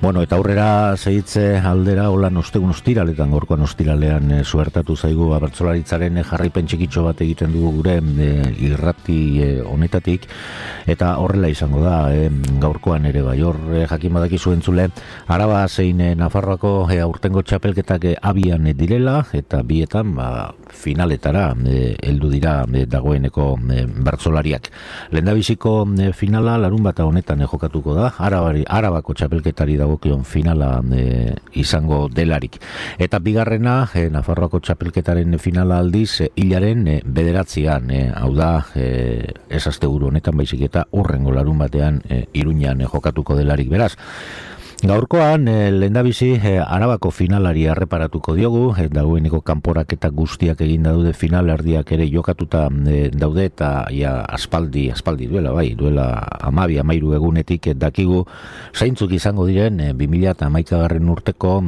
Bueno, eta aurrera segitze aldera, holan ostegun ostiraletan, gorkoan ostiralean suertatu zaigu abertzolaritzaren jarraipen txikitxo bat egiten dugu gure irrati honetatik, eta horrela izango da, gaurkoan ere bai, hor jakin badakizu entzule, Araba zein Nafarroako aurtengo txapelketak abian direla, eta bietan finaletara heldu dira dagoeneko bertsolariak. Lehendabiziko finala larunbata honetan jokatuko da, Arabako txapelketari dagokion finala izango delarik. Eta bigarrena, Nafarroako txapelketaren finala aldiz, hilaren 9, hau da, ez asteburu honetan baizik eta hurrengo larunbatean Iruñan jokatuko delarik beraz. Gaurkoan, lehendabizi, Arabako finalari erreparatuko diogu, dagoeneko kanporaketa guztiak egin daude finalerdiak ere jokatuta daude, eta aspaldi duela 12-13 egunetik dakigu zeintzuk izango diren 2011 urteko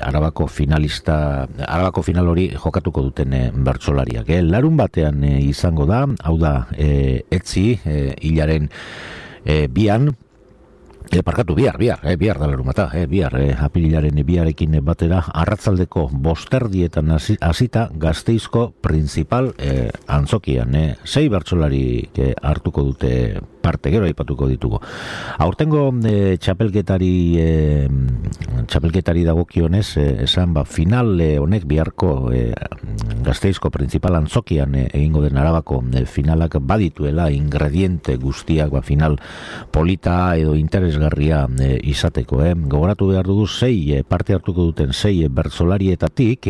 Arabako final hori jokatuko duten bertsolariak. Larun batean izango da, hau da, etzi, hilaren bian, bihar da larumata, apirilaren biarekin batera, arratzaldeko 5:00 hasita Gasteizko principal antzokian. 6 bertsolari hartuko dute parte, gero aipatuko ditugu. Aurtengo txapelketari dagokionez, esan final honek biharko Gasteizko principal antzokian egingo den Arabako finalak badituela ingrediente guztiak final polita edo interesgarria izateko. Gogoratu behar dugu 6 parte hartuko duten 6 bertsolarietatik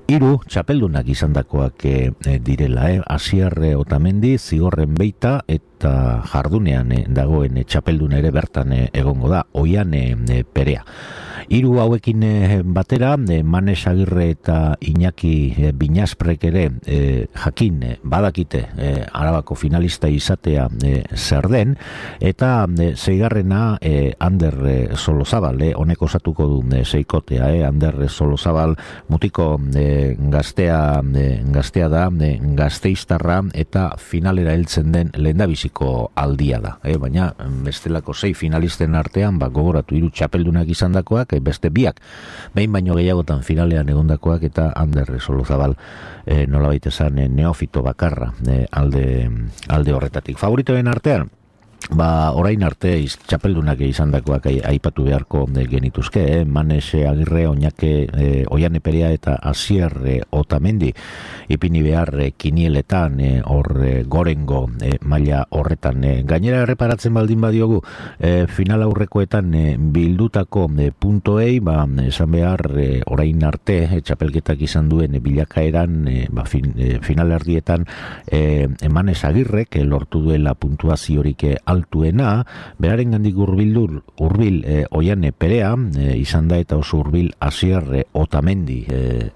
3 txapeldunak izandakoak direla. Asier Otamendi, Zigorren Beita eta jardunean dagoen txapeldun ere bertan egongo da, Oiane Perea. 3 hauekin batera, Manes Agirre eta Iñaki Binasprek ere jakin badakite Arabako finalista izatea zer den, eta 6. Ander Solozabal, honek osatuko du 6kotea, Ander Solozabal mutiko gaztea da, Gasteiztarra, eta finalera heltzen den lehendabiziko aldia da. Baina bestelako 6 finalisten artean, gogoratu 3 txapeldunak izandakoak, beste biak, behin baino gehiagotan finalean egondakoak, eta Ander Solozabal nolabait esan neofito bakarra alde horretatik. Favoritoen artean, orain arte txapeldunak izandakoak aipatu beharko genituzke, Manes Agirre, Oiane Perea eta Asier Otamendi ipini behar kinieletan, hor gorengo maila horretan. Gainera erreparatzen baldin badiogu final aurrekoetan bildutako puntoei, esan behar orain arte txapelketak izan duen bilakaeran finalerdietan Manes Agirrek lortu duela puntuaziorik altuena, beraren gandik hurbil Oiane Perea izan da, eta oso hurbil Asier Otamendi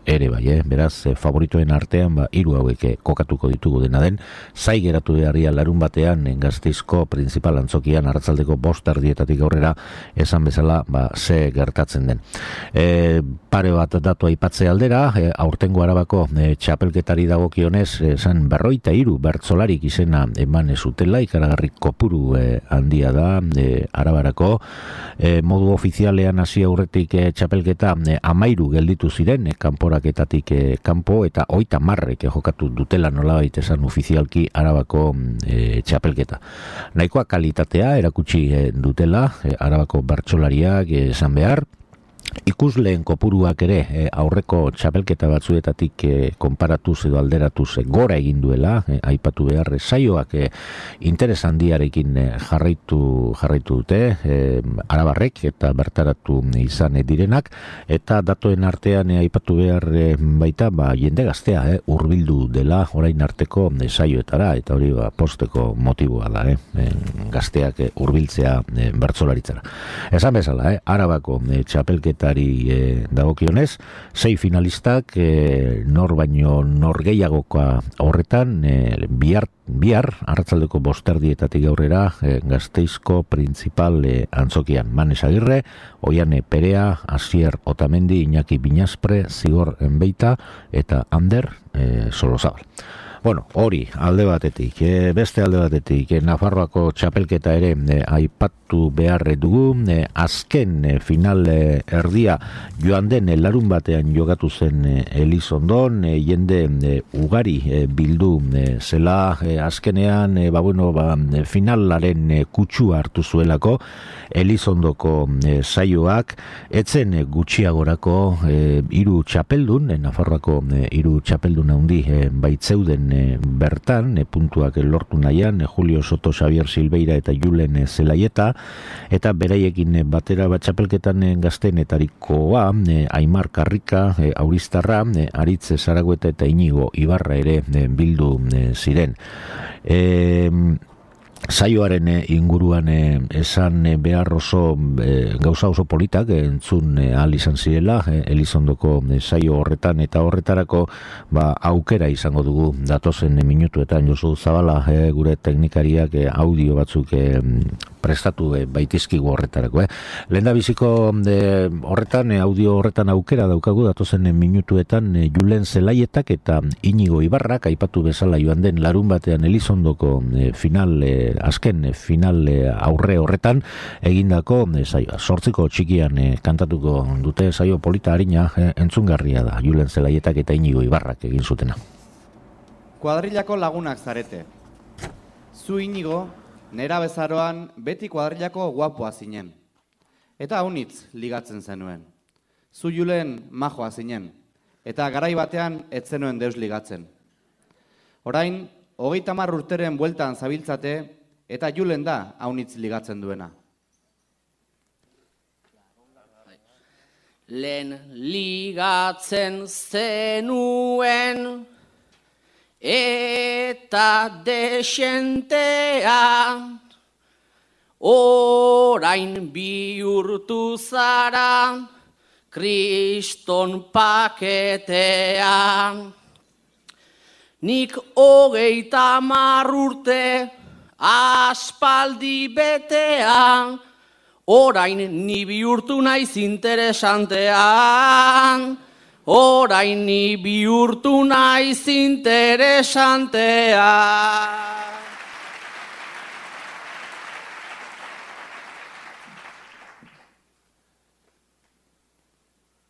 ere bai, beraz favoritoen artean 3 hauek kokatuko ditugu. Dena den, zai geratu beharria larun batean Gasteizko principal antzokian arratzaldeko 5:00 aurrera, esan bezala ze gertatzen den. Pare bat datu aipatze aldera, aurtengo Arabako txapelketari dagokionez, esan 43 bertsolarik izena eman zutela, ikaragarri kopuru handia da Arabarako. Modu ofizialean hasi aurretik txapelketa 13 gelditu ziren, kanporaketatik kanpo, eta 30 jokatu dutela nolabait esan ofizialki Arabako txapelketa. Nahikoa kalitatea erakutsi dutela Arabako bertsolariak esan behar. Ikusleen kopuruak ere aurreko txapelketa batzuetatik konparatuz edo alderatuz gora egin duela, aipatu behar saioak interes handiarekin jarraitu dute arabarrek eta bertaratu izan direnak, eta datoen artean aipatu behar baita jende gaztea hurbildu dela orain arteko saioetara, eta hori posteko motiboa da, gazteak hurbiltzea bertsolaritzara. Esan bezala, Arabako txapelketa dagokionez, 6 finalistak, nor baino nor gehiagoka horretan, bihar arratzaldeko 5:00 aurrera Gasteizko principal antzokian. Manes Agirre, Oiane Perea, Asier Otamendi, Iñaki Binaspre, Zigor Enbeita eta Ander Solozabal. Bueno, hori alde batetik, beste alde batetik, Nafarroako txapelketa ere aipatu behar dugu, azken final erdia joan den larun batean jogatu zen Elizondon, jende ugari bildu zela azkenean, finalaren kutsua hartu zuelako Elizondoko saioak, etzen gutxiagorako 3 txapeldun, Nafarroako 3 txapeldun handi baitzeuden bertan, puntuak lortu nahian, Julio Soto, Xavier Silveira eta Julen Zelaieta, eta beraiekin batera txapelketan gaztenetarikoa, Aimar Karrika, Auristarra, Aritz Zaragoeta eta Inigo Ibarra ere bildu ziren. Saioaren inguruan esan behar oso gauza oso politak entzun ahal izan zirela Elizondoko saio horretan, eta horretarako aukera izango dugu datozen minutuetan. Josu Zabala, gure teknikariak audio batzuk prestatu baitizkigu horretarako. Lehendabiziko horretan, audio horretan aukera daukagu datozen minutuetan Julen Zelaietak eta Inigo Ibarrak aipatu bezala joan den larun batean Elizondoko azken final aurre horretan egindako saioa. 8 txikian kantatuko dute saio polita harina, entzungarria da Julen Zelaietak eta Inigo Ibarrak egin zutena. Kuadrillako lagunak zarete. Zu Inigo, nera bezaroan beti kuadrillako guapoa zinen. Eta haunitz ligatzen zenuen. Zu Julen majoa zinen. Eta garai batean ez zenuen deus ligatzen. Orain, 30 urteren bueltan zabiltzate, eta Julen da haunitz ligatzen duena. Lehen ligatzen zenuen eta desentea, orain bihurtu zara kriston paketea. Nik 30 urte aspaldi betea, orain ni bihurtu naiz interesantean. Orain ni bihurtu naiz interesantean.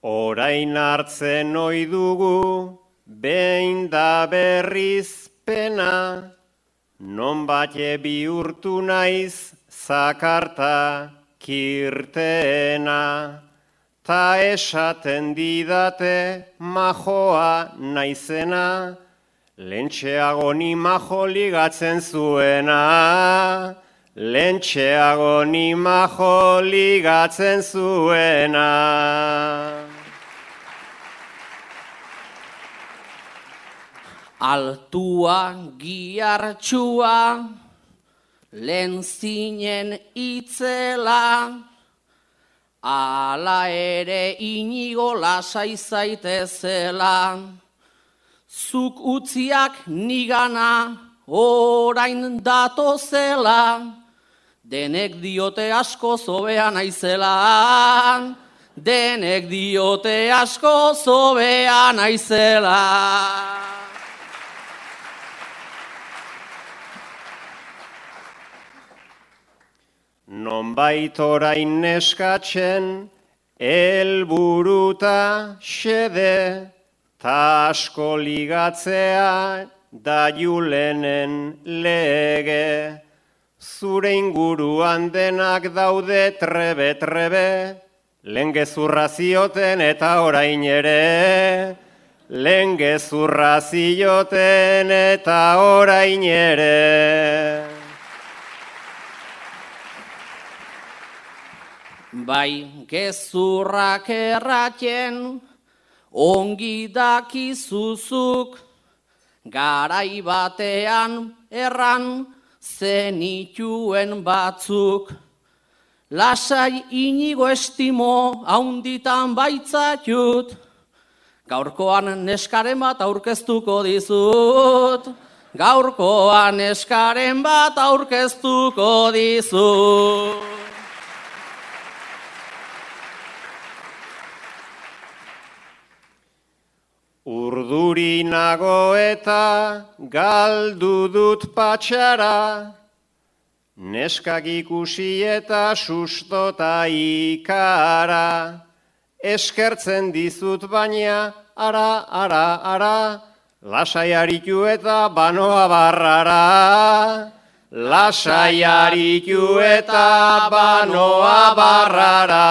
Orain hartzen ohi dugu, behin da berriz pena, nonbait bihurtu naiz zakarta kirtena. Ta esaten didate majoa naizena, lentxeago ni majo ligatzen zuena. Lentxeago ni majo ligatzen zuena. Altua giartxua, lehen zinen itzela, ala ere Inigo lasai zaitezela. Zuk utziak nigana orain datozela, denek diote asko zobea naizela. Denek diote asko zobea naizela. Nonbait orain neskatzen, helburuta xede, ta asko ligatzea da Julenen lege. Zure inguruan denak daude trebe-trebe, lehen gezurra zioten eta orain ere. Lehen gezurra zioten eta orain ere. Bai, gezurrak erraten, ongi dakizuzuk, garai batean erran zenituen batzuk. Lasai Inigo estimo haunditan baitzatut, gaurkoan neskaren bat aurkeztuko dizut. Gaurkoan neskaren bat aurkeztuko dizut. Urduri nago eta galdu dut patxara, neskak ikusi eta sustota ikara, eskertzen dizut baina, ara, lasai aritu eta banoa barrara, lasai aritu eta banoa barrara.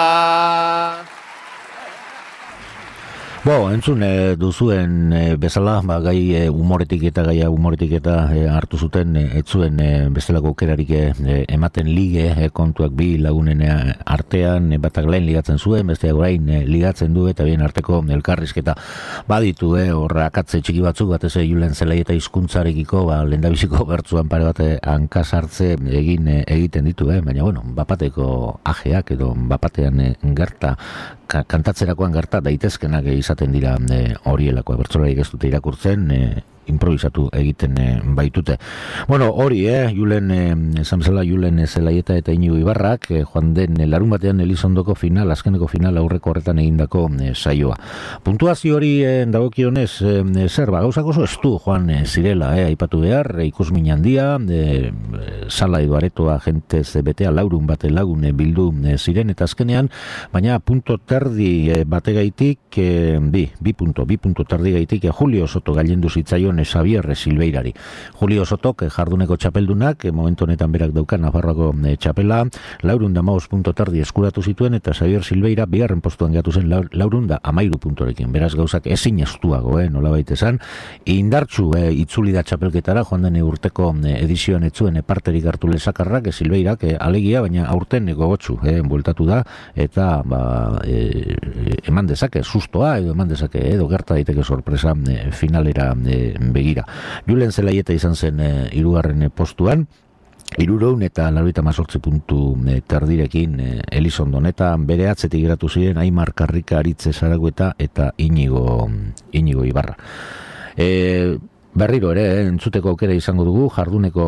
Entzun duzuen bezala, gai humoretik eta hartu zuten, ez zuen bestelako aukerarik ematen lige kontuak bi lagunen artean, batak lehen ligatzen zuen, besteak orain ligatzen du eta bien arteko elkarrizketa baditu, horra akatze txiki batzuk, batez Julen Zelaieta hizkuntzarekiko, lehendabiziko bertzuan pare bat hankasartze egiten ditu, baina bapateko ajeak edo bapatean gerta, kantatzerakoan gerta daitezkenak izaten dira horielako bertsolariek ez dute irakurtzen, improvisatu egiten baitute. Hori, esan bezala Julen Zelaieta eta Iñigo Ibarrak, joan den larun batean Elizondoko azkeneko final aurreko horretan egindako saioa. Puntuazio hori dagokionez, zer, gauzak oso estu joan zirela, aipatu behar, ikusmin handia, sala edo aretoa jentez betea laurun bate lagun bildu ziren, eta azkenean, baina punto terdi bategaitik, bi punto terdi gaitik, Julio Soto gailendu zitzaion Xavier Silveirari. Julio Sotok jarduneko txapeldunak, momentu honetan berak daukan Nafarroako txapela, 415 punto terdi eskuratu zituen, eta Xavier Silveira bigarren postuan gatu zen 413 puntorekin. Beraz gauzak ezin estuago, nolabait esan. Indartsu itzuli da txapelketara, joan den urteko edizioan etzuen parterik hartu lezakarrak, Silveirak alegia, baina aurten gogotsu bueltatu da, eta eman dezake sustoa, edo eman dezake, edo gerta daiteke sorpresa finalera begira. Julen Zelaieta izan zen hirugarren postuan, 398 puntu terdirekin Elizondon, eta bere atzetik geratu ziren Aimar Karrika, Aritze Zaragoeta eta Iñigo Ibarra. Berriro ere, entzuteko aukera izango dugu, jarduneko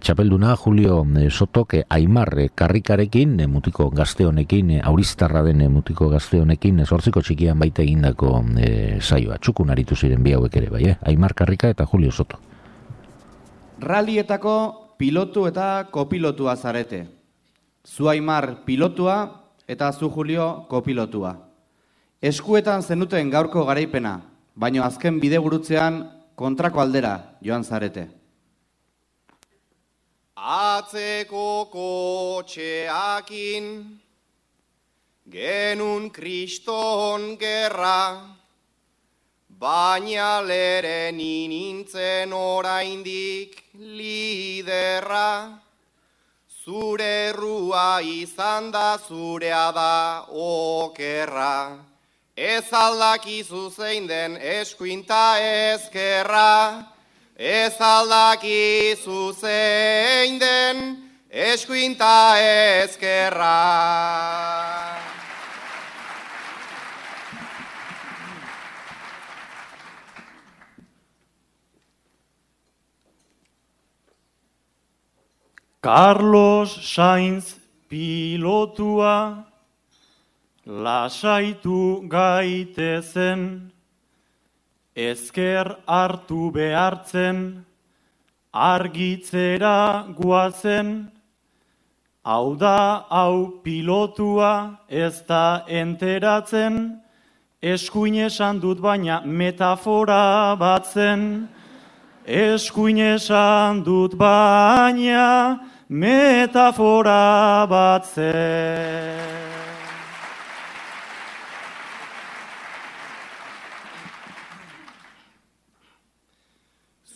txapelduna Julio Sotok Aimar Karrikarekin, mutiko gazte honekin, auristarra den mutiko gazte honekin, 8 txikian baita egindako saioa. Txukun aritu ziren bi hauek ere, bai, Aimar Karrika eta Julio Soto. Rallietako pilotu eta kopilotua zarete. Zu Aimar pilotua eta zu Julio kopilotua. Eskuetan zenuten gaurko garaipena, baino azken bidegurutzean kontrako aldera joan zarete. Atzeko kotxeakin genun kriston gerra, baina leren nintzen oraindik liderra. Zure errua izan da zurea da okerra. Ez aldakizu zein den eskuinta ezkerra, ez aldakizu zein den eskuinta ezkerra. Carlos Sainz pilotua, lasaitu gaitezen, ezker hartu behartzen, argitzera guazen, hau da hau pilotua ez da enteratzen, eskuin esan dut baina metafora batzen, eskuin esan dut baina metafora batzen.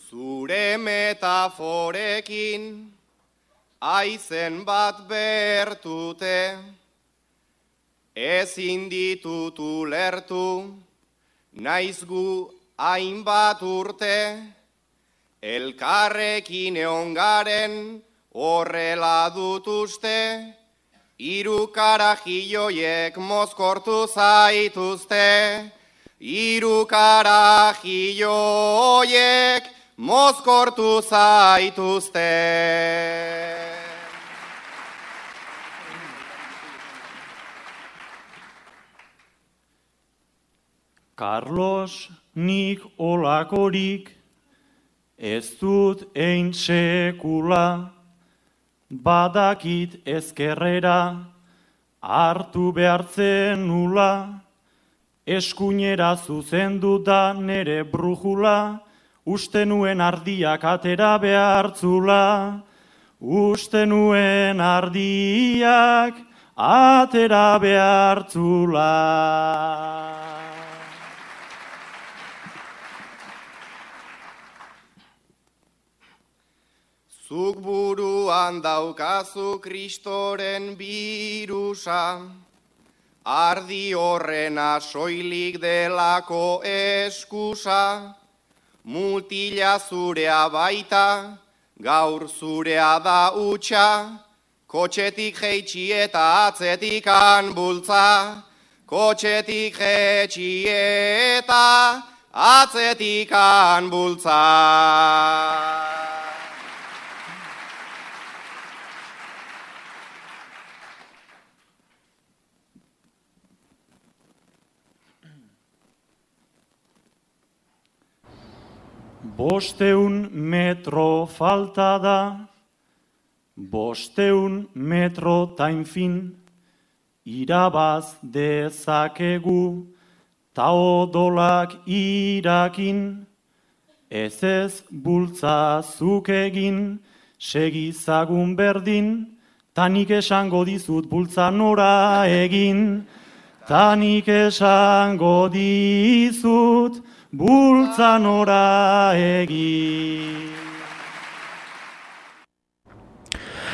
Zure metaforekin aizen bat bertute, ezin ditut ulertu, naiz gu hainbat urte, elkarrekin egon garen horrela dut uste, hiru karajilloiek mozkortu zaituzte, hiru karajilloiek mozkortu zaituzte. Carlos nik olakorik ez dut ein sekula, badakit ezkerrera hartu behartzen nula, eskuinera zuzendu da nere brujula, uste nuen ardiak atera behartzula, uste nuen ardiak atera behartzula. Zuk buruan daukazu Kristoren birusa, ardi horrena soilik delako eskusa, mutila zurea baita, gaur zurea da utxa, kotxetik jeitsi eta atzetikan bultza, kotxetik jeitsi eta atzetikan bultza. Bosteun metro falta da, 500 metro tainfin, irabaz dezakegu, ta odolak irakin, ez bultza zuk egin, segizagun berdin, tanik esango dizut bultza nora egin, tanik esango dizut bultza nora egin.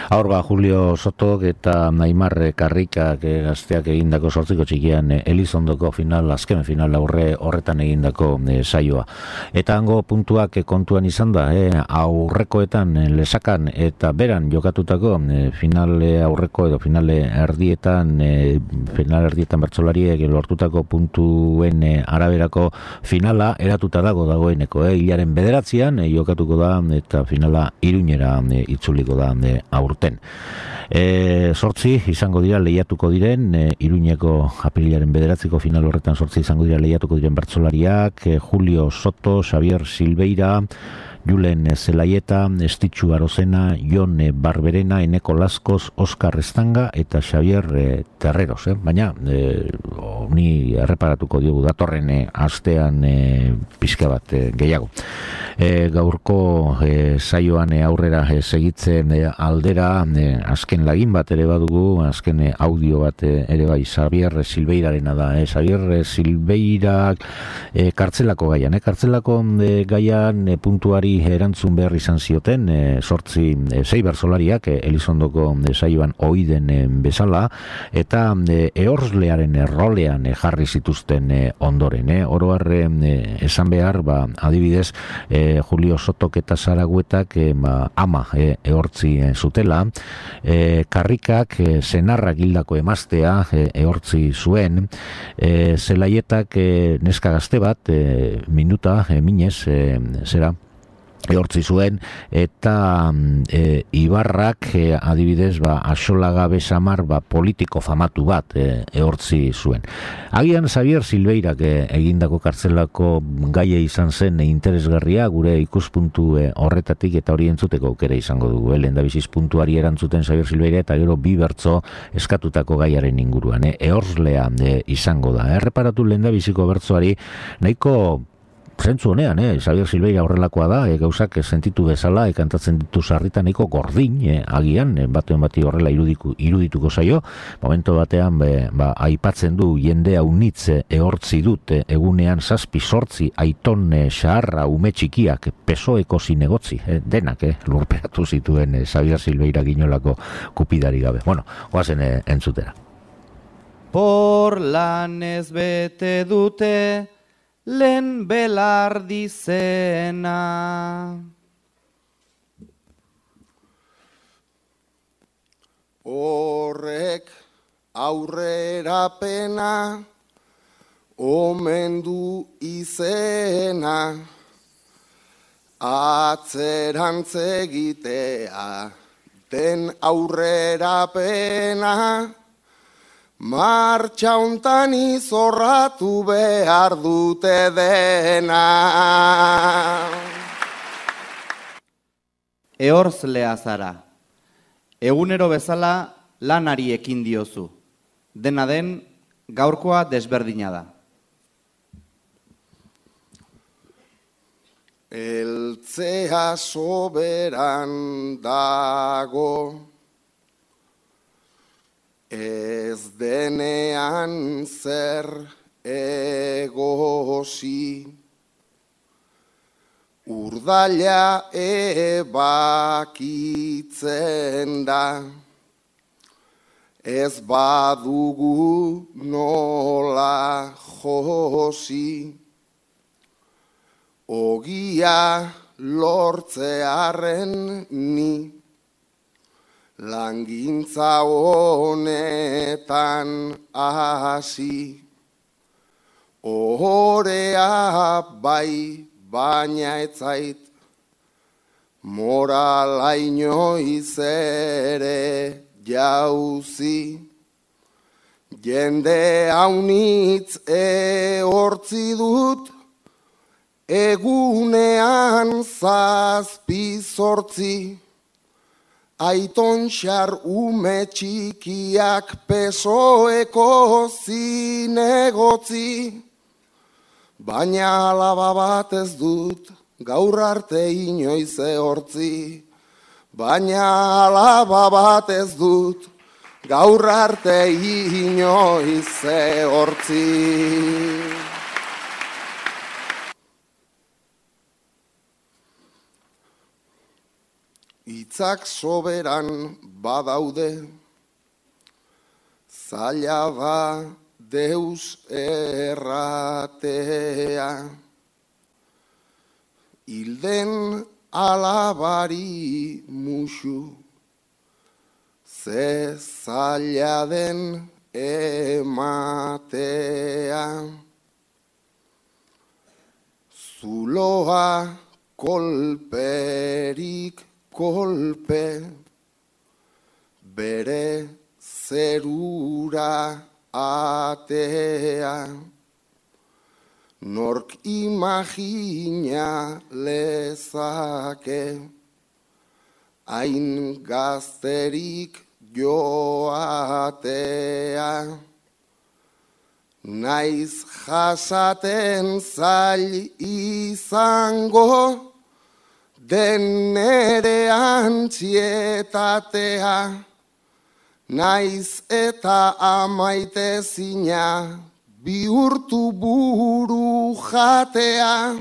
Aurba Julio Sotok eta Naimar Karrikak gazteak egindako 8 txikian Elizondoko azken final horretan egindako saioa. Eta hango puntuak kontuan izan da, aurrekoetan lesakan eta beran jokatutako finale aurreko edo finale erdietan bertsolariek lortutako puntuen araberako finala eratuta dagoeneko. Hilaren 9 jokatuko da eta finala Iruñera itzuliko da aurten. 8 izango dira lehiatuko diren, Iruñeko apirilaren 9 final horretan 8 izango dira lehiatuko diren bertsolariak, Julio Soto, Xavier Silveira, Julen Zelaieta, Estitxu Arozena, Jon Barberena, Eneko Laskoz, Oskar Estanga eta Xavier Terreros. Baina, ni erreparatuko diogu datorren astean pixka bat gehiago. Gaurko saioan aurrera segitzen aldera, azken lagin bat ere badugu, azken audio bat ere bai, Xavier Silveirarena da. Xavier Silveira kartzelako gaian, kartzelako gaian puntuari erantzun behar izan zioten 6 bertsolariak Elizondoko saioan oiden bezala, eta ehorzlearen rolean jarri zituzten ondoren. Oro har esan behar, adibidez, Julio Sotok eta Zaraguetak ama ehortzi zutela, Karrikak senarrak hildako emaztea ehortzi zuen, Zelaietak neska gazte bat, minuta, minez, ehortzi zuen, eta Ibarrak adibidez Axolaga Besamar politiko famatu bat ehortzi zuen. Agian Xavier Silveirak egindako kartzelako gaia izan zen interesgarria gure ikuspuntu horretatik, eta hori entzuteko aukera izango dugu. Lehendabiziz puntuari erantzuten Xavier Silveira eta gero 2 bertso eskatutako gaiaren inguruan. Ehorzlea izango da. Erreparatu lehendabiziko bertsoari nahiko zentzu honean, Xavier Silveira horrelakoa da, gauzak sentitu bezala, kantatzen ditu sarritan nahiko gordin, agian, baten bati horrela irudituko zaio, momento batean, aipatzen du jende haunitz ehortzi dut, egunean 7-8 aiton xaharra ume txikiak, pesoeko zinegotzi, denak lurperatu zituen Xavier Silveira ginolako kupidari gabe. Bueno, goazen entzutera. Por lanez bete dute lehen belardi zena. Horrek aurrerapena omen du izena, atzerantz egitea den aurrerapena, martxa hontan izorratu behar dute dena. Ehorzlea zara, egunero bezala lanari ekin diozu, dena den gaurkoa desberdina da. Eltzea soberan dago, ez denean zer egosi, urdaila ebakitzen da, ez badugu nola josi. Ogia lortzearen ni, langintza honetan hasi. Ohorea bai, baina etzait, morala inoiz ere jauzi. Jende haunitz ehortzi dut, egunean 7-8, aitontxar ume txikiak pesoeko zinegotzi, baina alaba bat ez dut gaur arte inoiz ehortzi, baina alaba bat ez dut gaur arte inoiz ehortzi. Hitzak soberan badaude, zaila da deus erratea. Hilden alabari musu, ze zaila den ematea. Zuloa kolperik kolpe, bere zerura atea. Nork imagina lezake, hain gazterik joatea. Naiz jasaten zail izango, den nere antzietatea, naiz eta amaitezina bihurtu buru jatea,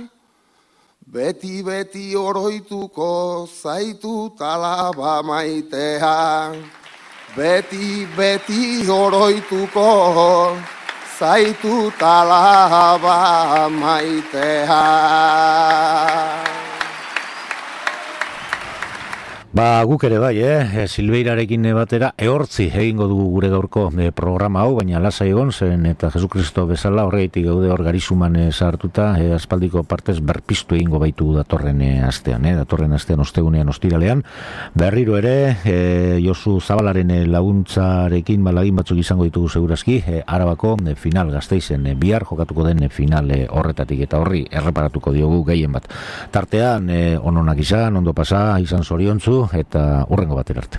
beti oroituko zaitut alaba maitea, beti oroituko zaitut alaba maitea. Ba, guk ere bai, Silveirarekin batera ehortzi egingo dugu gure gaurko programa hau, baina lasai egon zen eta Jesukristo bezala horreitik gaude hor garizuman sartuta, aspaldiko partez berpiztu egingo baitu datorren astean, ostegunean, ostiralean. Berriro ere, Josu Zabalaren laguntzarekin balagin batzuk izango ditugu segurazki, Arabako final Gasteizen bihar jokatuko den final horretatik eta horri erreparatuko diogu gehien bat. Tartean, ononak izan, ondo pasa, izan zoriontzu, eta hurrengo batera arte.